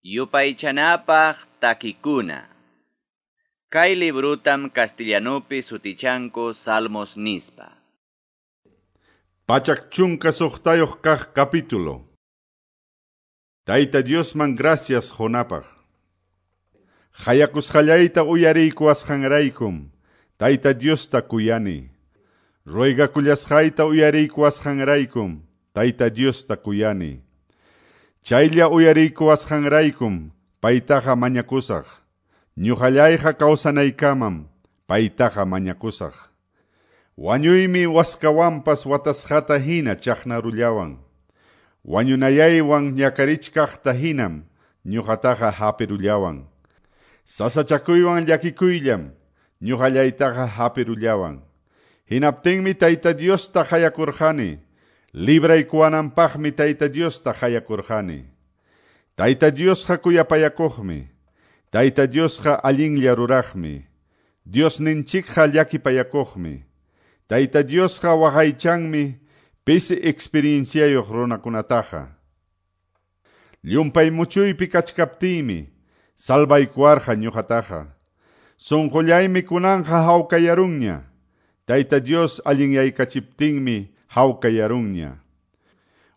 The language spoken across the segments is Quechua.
Yupaychanapaq takikuna. Kay librutam castellanupi sutichanku Salmos nispa. 116 kaq capítulo. Tayta Diosman gracias qunapaq. Qayakusqallayta uyariykuwasqanraykum, Tayta Diosta kuyani. Ruegakullasqayta uyariykuwasqanraykum, Tayta Diosta kuyani. Chaylla uyariykuwasqanraykum, paytaqa mañakusaq. Ñuqallayqa kawsanaykamam, paytaqa mañakusaq. Wañuymi waskawanpas watasqata hina chaqnarullawan. Wañunayaywan ñakarichkaqta hinam ñuqataqa hapirullawan. Sasachakuywan llakikuyllam ñuqallaytaqa hapirullawan. Hinaptinmi Tayta Diosta qayakurqani. Libraykuwananpaqmi Tayta Diosta qayakurqani. Tayta Diosqa kuyapayakuqmi. Tayta Diosqa allinlla ruraqmi. Diosninchikqa llakipayakuqmi. Tayta Diosqa waqaychanmi pisi experienciayuq runakunataqa. Llumpay muchuypi kachkaptiymi salvaykuwarqa ñuqataqa. Sunqullaymi kunanqa hawkayarunña. Tayta Dios allinyaykachiptinmi hawkayarunña.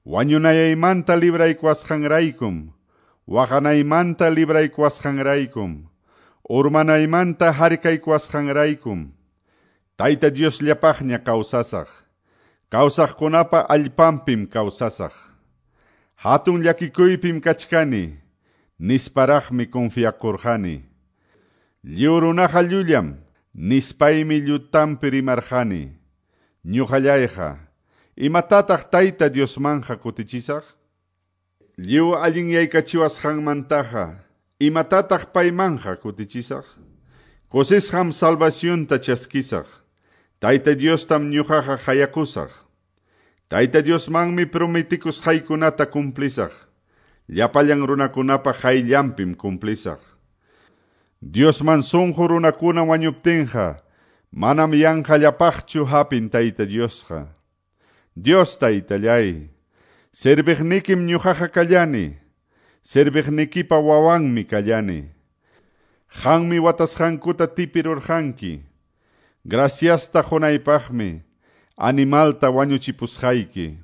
Wañunayaymanta libraykuwasqanraykum, waqanaymanta libraykuwasqanraykum, urmanaymanta harkaykuwasqanraykum, Tayta Diosllapaqña kawsasaq. Kawsaqkunapa allpanpim kawsasaq. Hatun llakikuypim kachkani, nisparaqmi confiakurqani. Lliw runaqa llullam, nispaymi llutanpi rimarqani. Ñuqallayqa, imatataq Tayta Diosmanja kutichisaq? Lliw allinyaykachiwasqanmantaqa, imatataq paymanja kutichisaq? Kusisqam salvacionta chaskisaq. Tayta Diostam ñuqaqa qayakusaq. Tayta Diosmanmi prometikusqaykunata cumplisaq. Llapallan runakunapa qayllanpim cumplisaq. Diosman sunqu runakuna wañuptinqa, manam yanqallapaqchu hapin Tayta Diosqa. Dios Taytallay, serviqnikim ñuqaqa kallani, serviqnikipa wawanmi kallani. Qanmi watasqankuta tipirurqanki. Graciasta qunaypaqmi animalta wañuchipusqayki.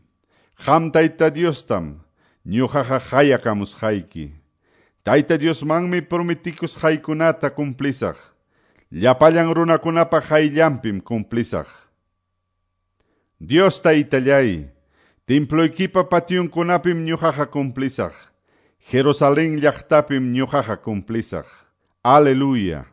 Qam Tayta Diostam ñuqaqa qayakamusqayki. Tayta Diosmanmi prometikusqaykunata cumplisaq. Llapallan runakunapa qayllanpim cumplisaq. Dios Taytallay, temploykipa pationkunapim ñuqaqa cumplisaq. Jerusalén llaqtapim ñuqaqa cumplisaq. Aleluya.